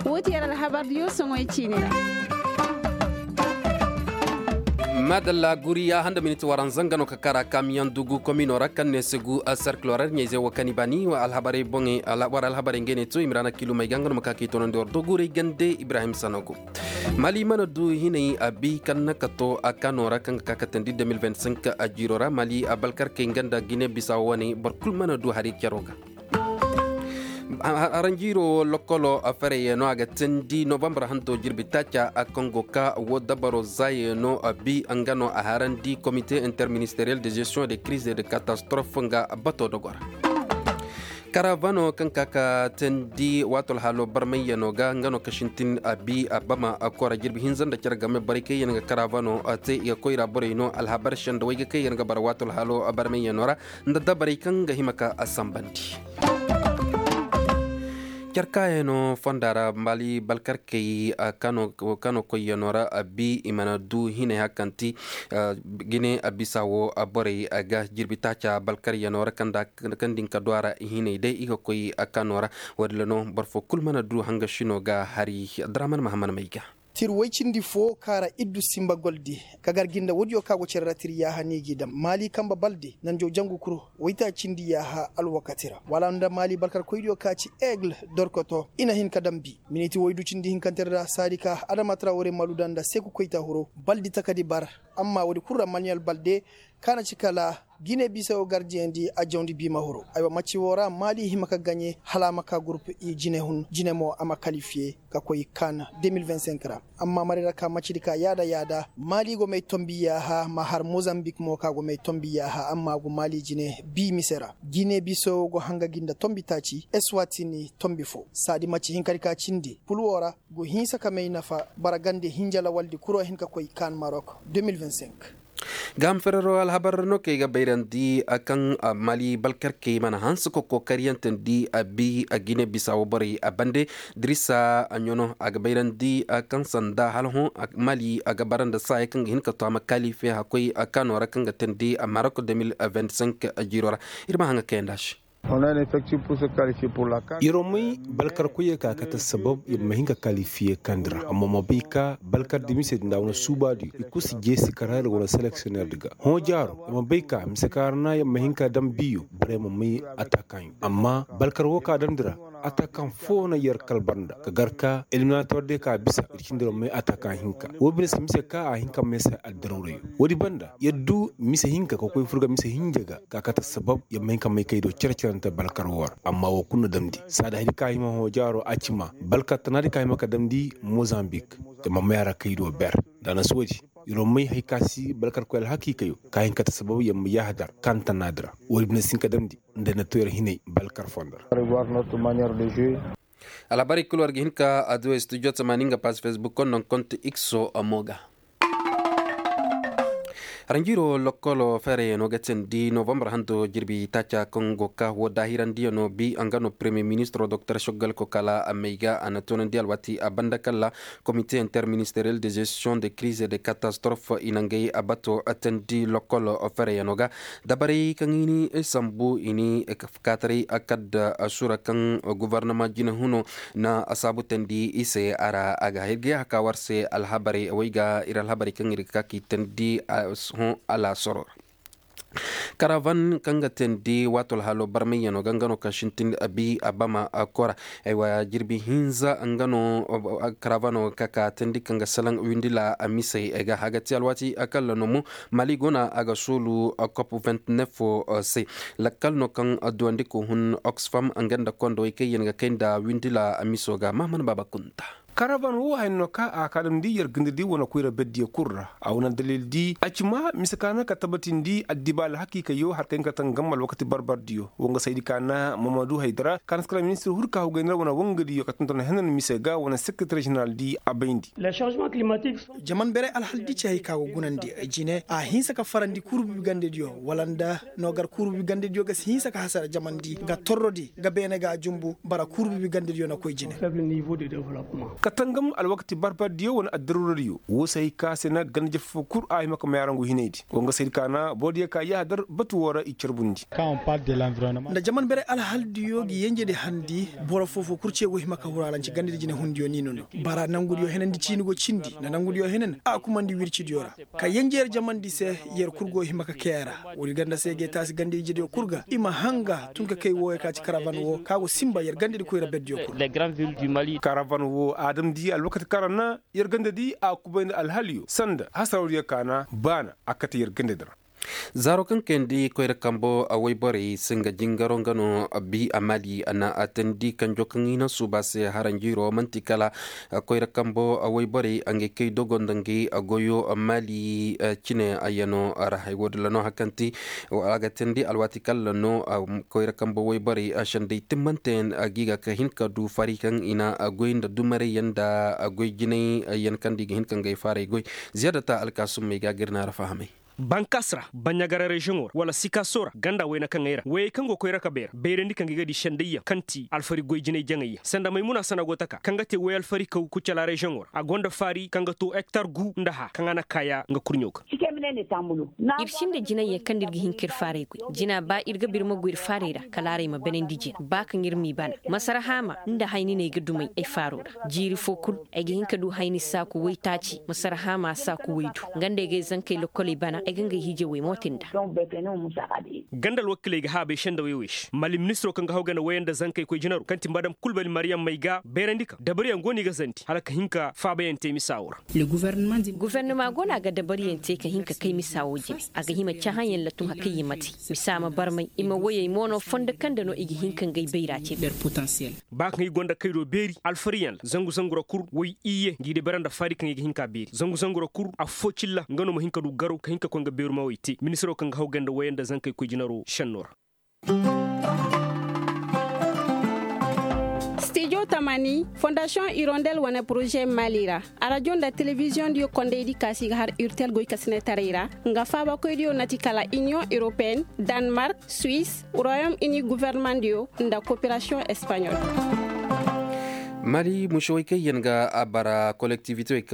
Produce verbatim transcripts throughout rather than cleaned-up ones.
Wo ti yer alhabar diyo soŋoy ciini ra. Madalla guri ya handa miniti waranza nga no ka kara kamiyaŋ dugu komino ra kaŋ ne se gu serkilo ra ɲayze wo kaŋ i ba ni war alhabarey boŋey war alhabarey ngey ne to i ma ra na kilumey ga nga no ma ka k'i tonandi war doguray gande ibrahim sanogo. Mali mana du hinay a bi kaŋ na ka to a kano ra kaŋ ga ka katandi deux mille vingt-cinq a jiiro ra mali a balkarkey nga nda gine bisa wane boro kulu mana du hari caro ga. Haranjiiro wo lokolo fereye no a ga teendi novambar hando jirbi taaca a kaŋ go ka wo dabaro zaaye no a bi nga no a harandi komite interministeriyel de gestion de crise de catastrophe nga bato dogo ra. Karavano kaŋ ka ka teendi waato alhaalo barmayyano ga nga no ka sintin a bi a bama a kora jirbi hinza nda care game borey kaŋ yaŋ ga karavano te i ga koyra borey no alhabar se nda wayga kaŋ yaŋ ga bara waato alhaalo barmayyano ra nda dabarey kaŋ ga hima ka a sambandi. Care kaayano fonda ra mali balkarkey kano koyyano ra a bi i mana du hinay hakanti gine a bisa wo borey ga jirbi taaca balkaryano ra kaŋ din ka du a ra hinay day i ga koy kano ra. Wadilla no boro fo kulu mana du hangasino ga hari. Abdurahman mahaman may ga. Tir way cindi fo kaara iddu simba goldi ka gar ginda woodiyo ka go cere ra tir yaaha ni g'i dam maali kamba balde nanjo jangu kuru wayta cindi yaaha alwakati ra wala nda maali balkarkoydiyo ka ci aigle dorkoto i na hin ka dam bi miniti waydu cindi hinkante ra saadi ka adama trawore maluda nda seku koyta huro baldi takadi bar. Amma woodi kulu ra manuel balde ka na ci kala gine bisayo gardiyandi a jawndi biima huru aywa macci woo ra maali hima ka gaɲe hala a ma ka gurup i jine hun jine mo a ma kalifiye ka koy kan deux mille vingt-cinq ra. Amma marayra ka maccidi ka yaada yaada maali go may tombi yaaha ma har mozambik mo ka go may tombi yaaha amma a go maali jine bii mise ra gine bisayo go hanga gi nda tombi taaci eswatini tombi fo saadi macci hinkadi ka cindi pul woo ra go hinsa ka may nafa bara gande hinja lawaldi kuro hin ka koy kan marok deux mille vingt-cinq. Gaam ferero alhabar no kaŋ ay ga bayrandi kaŋ mali balkarkey mana hanse ka kokariyante ndi a bi a gine bisa wo borey a bande. Dirisa a ɲono a ga bayrandi kaŋ sanda hala hõ mali a ga bara nda saaya kaŋ ga hin ka to a ma kaalife hakkoy kano ra kaŋ ga teendi marok deux mille vingt-cinq jiiro ra. Ir ma haŋa kayandi a se. Yer wo may balkarkoyey ka kate sabab yer ma hin ka kalifiye kandi ra amma ma bay ka balkardi mise di nda a wane suubaadiyo i kulu si jeesi kara yer wane seleksiyoner di ga hõ jaaro yer ma bay ka mise kaŋ ra na yer ma hin ka daŋ biyo borey ma may atakaŋyo amma balkar wo ka damndi ra atakaŋ fo na yer kalbar nda ka gar ka eliminator day ka bisa ir cindi yer ma may atakaŋ hinka wo bine se mise ka a hin ka may se addarawrayo. Woodi banda yer du mise hinka ka koy fur ga mise hinja ga ka kate sabab yer ma hin ka may kay do cere-cerante balkar wo ra amma wo kulu na damndi saada hari ka hima hõ jaaro a ci ma balkar tanaadi ka hima ka damndi mozambik. Yer ma may a ra kay do ber nda a na si woodi yer wo may hari ka si balkar koy alhakiikayo ka hin kate sabab yer ma yaaha dar kaŋ tanaadi ra woodi bine si hin ka damndi nda yer na to yer hinay balkar fondo ra. Alhabarey kulu war ga hin ka adduwey studio tamaani nga pass facebook konno konti ikso mo ga. Haranjiiro lokkolo feerayano ga teendi novambar hando jirbi taaca kaŋ go ka wo daahirandiyano bi nga no premier ministro doktor shoggal kokala a may ga a na toonandi alwaati a banda kalla komite interministeriyel de gestion de crise de catastrophe i na ngay a bato teendi lokkolo feerayano ga. Dabarey kaŋ i ni sambu i ni kaataray a kadda sura kaŋ gobornama jinahuno na a saabu teendi i se a ra a ga hirgay a ka war se alhabarey way ga ir alhabarey kaŋ ir ga ka k'i teendi hõ alaasoro ra. Karavan kaŋ ga teendi waato alhaalo barmayyano ga nga no ka sintin a bi a bama a kora. Aywa jirbi hinza nga no karavano ka ka teendi kaŋ ga salaŋ windila a misey ay ga hagati alwaati a kalla no mo. Mali guna a ga soolu kop vingt-neuf se lakkal no kaŋ duwandi ko hun oxfam nga nda kondowey kaŋ yaŋ ga kay nda windila a miso ga mahaman baaba kunta. Karavan wo haya no ka a ka damndi yer gindidi wane koyra berdiyo kul ra a wane dalildi a ci ma mise ka na ka tabatindi addibaali hakiikayo har ka hin ka tangamma alwakati barbardiyo wo nga saydi ka na mamadu haydara ka na si kala ministir huru ka hugay nda wane wangadiyo ka tonton henan mise ga wane sekretar ženeraldi a bayndi. Jaman beray alhaldi ci hay ka go gunandi jine a hinsa ka farandi kuurubibi gandediyo wala nda no gar kuurubibi gandediyo ga si hinsa ka hasara jamandi nga torrodi nga beene ga a jumbu bara kuurubibi gandediyo na koy jine. ka tangam alwakati barbardiyo wane addaruradiyo woo se hay ka se na ganda jafa foo kul a hima ka may arangu hinaydi wa nga se ir kaana borodiyo ka yaahadar batu woo ra i carbundi. Nda jaman beray alhaldiyo ga yenjedi handi boro foo foo kul ce go hima ka huraaranci gandadi jinehundiyo ni nono. Bara nangudiyo henandi ciini go cindi nda nangudiyo henan a kumandi wircidiyo ra. Ka yenje yer jamandi se yer kul go hima ka kay a ra. Woodi ganda se ga ay taasi ganda ijediyo kul ga i ma hanga tun ka kay wooyo ka ci karavan woo ka go sinba yer gandadi koyra berdiyo kul. Karavan woo a damndi alwakati kaŋ ra na yer gandadi a kubay nda alhaliyo sanda hasarawdiyo kaana baana a kate yer gandadi ra. Zaaro kaŋ kayandi koyra kambo wayborey si nga jingaro nga no bi a maali a na a teendi kanjo kaŋ i na suuba se haranjiiro man'ti kala koyra kambo wayborey ngey kay dogo nda ngey goyo maali cine yaŋo ra hay woo din ra no hari kaŋ ti a ga teendi alwaati kala no koyra kambo wayborey sendey timmanteyaŋ gi ga ka hin ka du fari kaŋ i na goy nda dumarayyaŋ nda goy jinayyaŋ kaŋ nda i ga hin ka ngey faaray goy. Ziyaada ta alkaasumey ga ga ir na ra fahamay. Bankas ra baɲagara reziyoŋo ra wala sikaso ra ganda wayna kaŋ ay ra wayey kaŋ go koy ra ka bay ra bayrandi kaŋ ga i ga di sendayyaŋ kaŋ ti alfari goy jinay jaŋayyaŋ sanda maymuna sana go taka kaŋ ga te way alfari kaw kucala reziyoŋo ra a gonda faari kaŋ ga to hektar gu nda hã kaŋ a na kaaya nga kurɲo ga. Ir sinda jinayyaŋ kaŋ nda ir ga hin ka ir faaray goy jina ba ir ga ba ir ma goy ir faaray ra kala aray ma banandi jina ba kaŋ ir m'i bana masara haama nda hayni no ay ga dumay ay faaro ra. Jiiri foo kul ay ga hin ka du hayni saaku waytaaci masara haama saaku waydu. Nga nda ay ga ay zankey lokkoley bana ay ga ngey hiijey way mo te nda. Ganda alwakiiley ga haabay sendawey wey se mali ministiro kaŋ ga haw ganda wayey nda zankey koy jinaro kaŋ ti madam kulbali mariyam may ga bayrandi ka dabariyaŋ go no i ga zandi hala ka hin ka faabayaŋ te misa wo ra. Gofornama go no a ga dabariyaŋ te ka hin ka kay misa wo jine. A ga hima cahãyaŋ la tun hari kaŋ i ma te misa ma barmay i ma woyey mo no fondo kaŋ nda no i ga hin ka ngey bayra cine. Ba kaŋ i gonda kay do beeri alfariyaŋ ra zangu zangu ra kul way iyye ngi di bara nda faari kaŋ i ga hin ka beeri zangu zangu ra kul affo cilla nga no ma hin ka du garaw ka hin ka koy nga beeru ma way te ministiro kaŋ ga haw ganda wayey nda zankey koy jinaro senno ra. Stijo tamani fondasiyoŋ irondel wane poroze mali ra. Arajo nda telebiziyoŋ diyo kondaydi kaasi ga har urtel goykasinetaray ra nga faabakoydiyo nati kala iniyoŋ europeen, danmark, suis, royom ini gofornamaŋ diyo nda koperasiyoŋ espaɲol. Mali musewey kaŋ yaŋ ga a bara kolektivitewey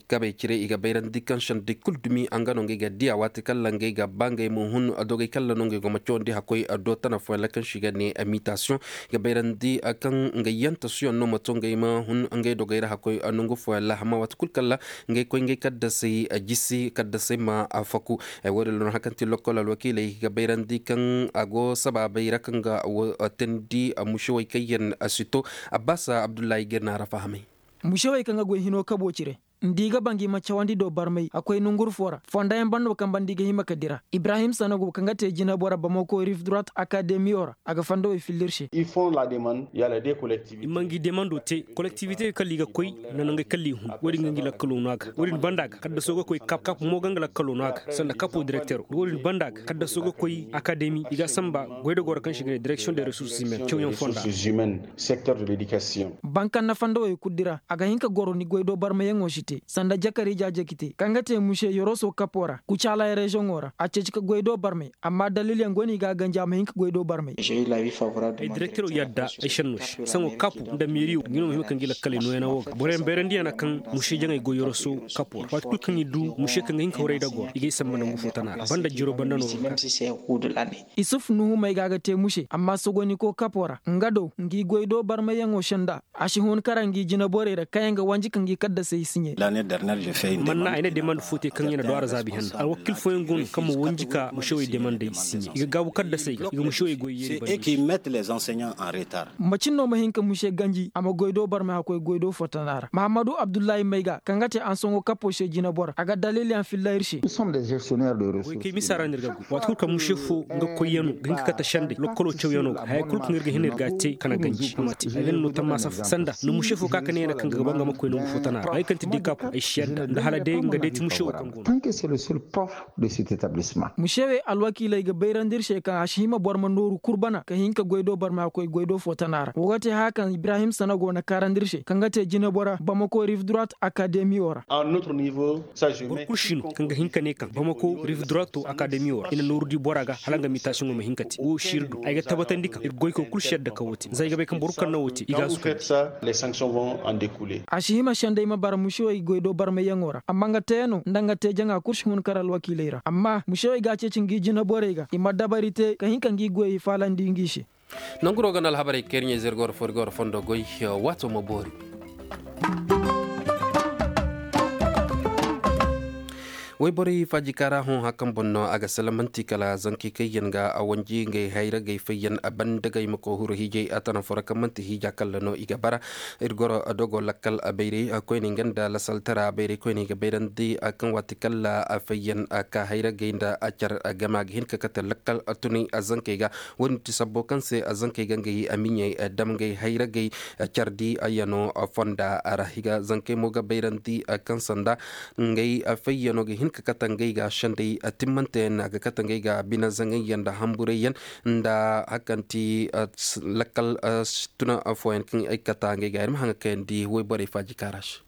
kabey cire i ga bayrandi kaŋ sendey kul dumi nga no ngey ga diya waati kaŋ ra ngey ga ba ngey ma hun dogey kaŋ ra no ngey go ma cawandi hakkoy do tana fooyaŋ ra kaŋ se i ga ne mitasiyoŋ. I ga bayrandi kaŋ ngey yantasuyaŋ no ma to ngey ma hun ngey dogey ra hakkoy nongu fooyaŋ ra amma waati kul kaŋ ra ngey koy ngey kaddasey jisi kaddasey ma faku. Woodin ra no hari kaŋ ti lokkol alwakiiley ga bayrandi kaŋ a go sabaabey ra kaŋ ga wo teendi musewey kaŋ yaŋ si to. Abbaasa abdullahi ga ir na a ra fahamay. Musewey kaŋ ga goy hino kabo cire nda i ga ba ngi ma cawandi do barmay a koy nonguru foo ra fondayaŋ banda wo kaŋ banda i ga hima ka dira ibrahim sanogo kaŋ ga te jinabora bamako rif durat akademiyo ra a ga fondowey filla ir se. I ma ngi demando te kolektivite kala i ga koy nda nangey kala i hun wo-din ga ngi lakkalo no a ga wo-din banda ga kaddaso ga koy kap kap mo ga nga lakkalo no a ga sanda kapo direktero wo-din banda ga kaddaso ga koy akademi i ga a samba goydogoo ra kaŋ se i ga ne direksiyoŋ de resurse humaine cawyaŋ fonda. Bankaŋ na fondowey kul dira a ga hin ka goro ni goydoo barmayaŋo si te sanda jakar ijaa jaki te kaŋ ga te muse yoroso kapo ra kucaalaay reziyoŋo ra a ceeci ka goydoo barmay amma dalilyaŋ go no i ga a ganji a ma hin ka goydoo barmay. Ay direktero yadda ay senno se saŋo kapu nda meeriyo ngi no ma hima ka ngi lakkaley nooyana wo ga boroyaŋ bayrandiyaŋ na kaŋ muse jaŋay go yoroso kapo ra waati kul kaŋ i du muse kaŋ ga hin ka horay dagoo ra i ga ay samba nangu fo tana ra banda jiro banda no ga ka. Isuf nuhu may ga a ga te muse amma sogoniko kapo ra nga do ngi goydoo barmayyaŋo senda a si hun kara ngi jinaborey ra kaŋ yaŋ ga wanji ka ngi kaddasey siɲe. Manna ay na demande fo te kaŋ yaŋ na do a ra zaabi hanna alwakil fooyaŋ go no kaŋ ma wanji ka musewey demandey siɲe i ga gaabu kaddasey ga i ga musewey goy yeeri banda. Macin no ma hin ka muse ganji a ma goydoo barmay a koy goydoo fo tana ra mahammadu abdullahi may ga kaŋ ga te ansoŋo kapo se jinabora a ga dalilyaŋ filla ir se. Goykey misa ra no ir ga goy waati kul kaŋ muse fo nga koyyaŋo ga hin ka kate sendey lokkolo cawyaŋo ga haya kul kaŋ ir ga hin ir ga a te kana ganji a ma te ay ga ni no tammaasa fo sanda nda muse fo ka ka ne yaŋ kaŋ ga ba nga ma koy nangu fo tana ra ay kaŋ ti day. Ay si yadda nda hala day nga day ti mušewey kaŋ go no. Musewey alwakiiley ga bayrandi ir se kaŋ a si hima boro ma nooru kul bana ka hin ka goy do boro ma koy goy do fo tana ra wo ga te haya kaŋ ibrahim sana go na kaarandi ir se kaŋ ga te jinebora bamako rive droite akademiyo ra. Boro kul si no kaŋ ga hin ka ne kaŋ bamako rive droite akademiyo ra i na nooru di bora ga hala nga mitasiŋo ma hin ka te wo si ir do ay ga tabbatandi kaŋ ir goykoy kul si yadda ka wo te za ay ga bay kaŋ boro kul kaŋ na wo te i ga a suka. A si hima senday ma bara musewey goy do barmayyaŋo ra amma nga teeyaŋo nda nga te jaŋa kul si hun kar alwakiiley ra amma musewey ga a ceeci ngi jinaborey ga i ma dabari te ka hin ka ngi goyey faalandi ngi se. Nangu no ga na alhabarey kaŋ ir ɲaa ize ir ga war fo ir ga war fondo goy. Waato ma boori. Wayborey faajikaara hõ hã kaŋ boŋ no a ga salamanti kala zankey kaŋ yaŋ ga a wanji ngey hayragey fayyaŋ a banda ga i ma koy huru hiijay a tana fo ra kaŋ man'ti hiija kalla no i ga bara. Ir goro dogo lakkal a bayray koyne nga nda lasaltara bayray koyne i ga bayrandi kaŋ waati kalla a fayyaŋ a ka hayragey nda a car game a ga hin ka kate lakkal a tunay a zankey ga. Wo-din ti sabbo kaŋ se a zankey ga ngey a miɲey dam ngey hayragey cardi a yano fonda ra i ga zankey mo ga bayrandi kaŋ sanda ngey fayyano ga hin ka kate ngey ga sendey a timmante yaŋ a ga kate ngey ga bine zaŋayyaŋ nda hamburayyaŋ nda hari kaŋ ti lakkal tuna fooyaŋ kaŋ ay kata ngey ga ir ma haŋ ga kayandi wayborey faaji kaara se.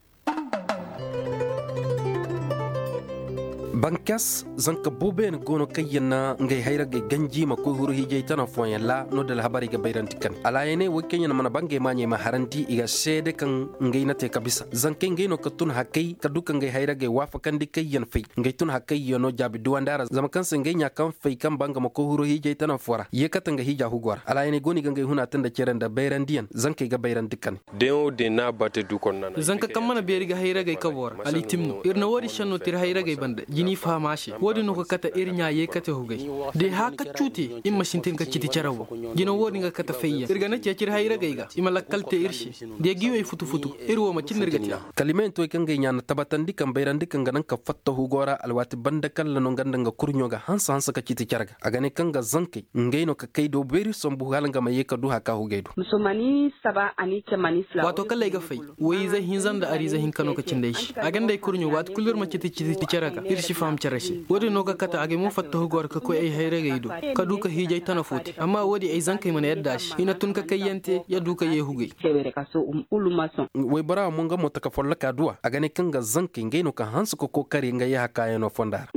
Bankas zanka booboyaŋ go no kaŋ yaŋ na ngey hayragey ganji ma koy huru hiijay tana fooyaŋ ra no da alhabarey ga bayrandi kane alaayaney wo kaŋ yaŋ mana ba ngey maaɲey ma harandi i ga seede kaŋ ngey na te ka bisa zankey ngey no ka tun hakay ka du ka ngey hayragey waafakandi kaŋ yaŋ fay ngey tun hakay yaŋ no jaabi duwandi a ra zama kaŋ se ngey ɲaa kaŋ fay kaŋ ba nga ma koy huru hiijay tana foo ra yeekate nga hiija hugo ra alaayaney go no i ga ngey huna te nda cere nda bayrandiyaŋ zankey ga bayrandi kane. Deŋo din n'a bate du konna na zanka kaŋ mana beeri ga hayragey kabo ra alitim no ir na woodin senno te ir hayragey banda jini faham a se woodin no ga kate ir ɲaa yeekate hugay da i hã ka cuu te ir ma sintin ka citi cere boŋ jina woodin ga kate fayyaŋ ir ga na ceeci ir hayragey ga i ma lakkal te ir se da i ga i wey futu-futu ir wo ma cin no ir ga te. Kala i ma hin to i kaŋ ga i ɲaa na tabatandi kaŋ bayrandi kaŋ ga naŋ ka fatta hugo ra alwaati banda kalla no nga nda nga kurɲo ga hanse-hanse ka citi cere ga a ga ne kaŋ ga zankey ngey no ka kay do beeri sambu hala nga ma ye ka du haka hugey do. Waato kala ay ga fay, woy-ize hinza nda ariize hinka no ka cindi ay se a ga nda ay kurɲo waati kulu ir ma citi citi cere ga ir si faham cere se. Woodin no ga kate agay mo fatta hugo ra ka koy ay hayragey do ka du ka hiijay tana fo te amma woodin ay zankey mana yadda a se i na tun ka kayyaŋ te ya du ka ye hugey. Woybora mo nga mo taka folloka duwa a ga ne kaŋ ga zankey ngey no ka hanse ka kookari nga yee hakaayaŋo fonda ra.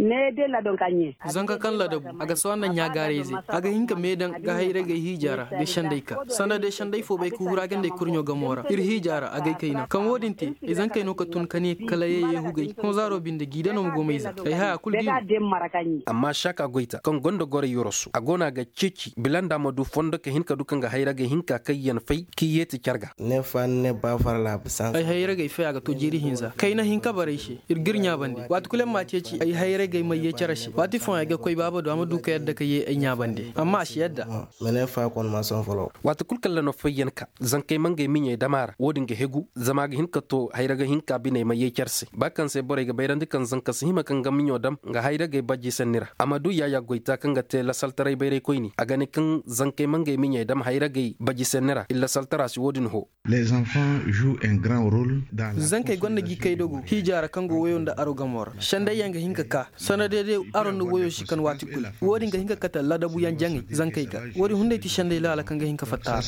Zanka kaŋ ladabu a ga sohõ nda ɲaagaarayzey a ga hin ka meedaŋ ga hayragey hiija ra ga senday ka sanda day senday fo bay ka huru a ga nda ay kurɲo gamo ra ir hiija ra agay kayna kaŋ woodin te ay zankey no ka tun ka ne kala yee yee hugey honzaaro binde g'i dano ma go mayze ay haya kulu g'i. Amma saaka goyta kaŋ gonda goray yoroso a go no a ga ceeci bila nda a ma du fondo ka hin ka du kaŋ ga hayragey hinka kaŋ yaŋ fay k'i yeeti car ga. Ay hayragey fay a ga to jiiri hinza kayna hinka baray se ir g'ir ɲaabandi waati kulu yaŋ m'a ceeci ay hayragey may yee cere se waati fooyaŋ ay ga koy baaba do a ma du ka yadda ka yee ay ɲaabandi amma a si yadda. Waati kulu kaŋ ra no fayyan ka zankey ma ngey miɲey dam a ra woodin ga hegu zama a ga hin ka to hayraga hinka biney ma yee cere se ba kaŋ se borey ga bayrandi kaŋ zanka si hima kaŋ ga miɲo dam nga hayragey baji senni ra a ma du yaayaa goyta kaŋ ga te lasaltaray bayraykoyni a ga ne kaŋ zankey ma ngey miɲey dam hayragey baji senni ra iri lasaltara si woodin hoo. Zankey gonda gi kay dogo hiija ra kaŋ go woyo nda aro gamo ra sendayyaŋ ga hin ka ka sanda day day aro nda woyo si kan waati kulu woodin ga hin ka kate ladabuyaŋ jaŋay zankey ga woodin hunday ti senday laala kaŋ ga hin ka fatta a ra.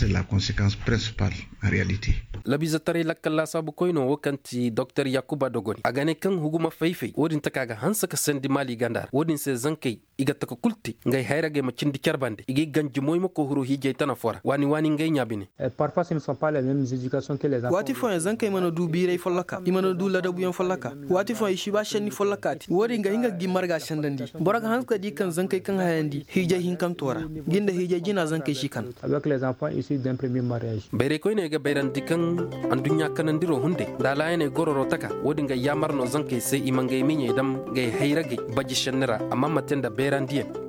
Labiizetaray lakkal laasaabukoyno wo kaŋ ti doktor yakuba dogoni a ga ne kaŋ huguma fay-fay woodin taka ga hanse ka sendi maali ganda ra woodin se zankey i ga taka kul te ngey hayragey ma cindi care bande i g'i ganji moy ma koy huru hiijay tana foo ra waani waani ngey ɲaa bine. Waati fooyaŋ zankey mana du biiray folloka i mana du ladabuyaŋ folloka. Waati fooyaŋ i si ba senni folloka te woodin ga hin ga gi marga sendandi. Boro ga hanse ka di kaŋ zankey kaŋ hayandi hiijay hinkanto ra gi nda hiijay jina zankey si kan. Bayraykoyney ga bayrandi kaŋ adduɲɲa kanandiro hunday nda alaayaney gororo taka woodin ga yaamar no zankey se i ma ngey miɲey dam ngey hayragey baji senni ra amma ma te nda bayrandiyaŋ.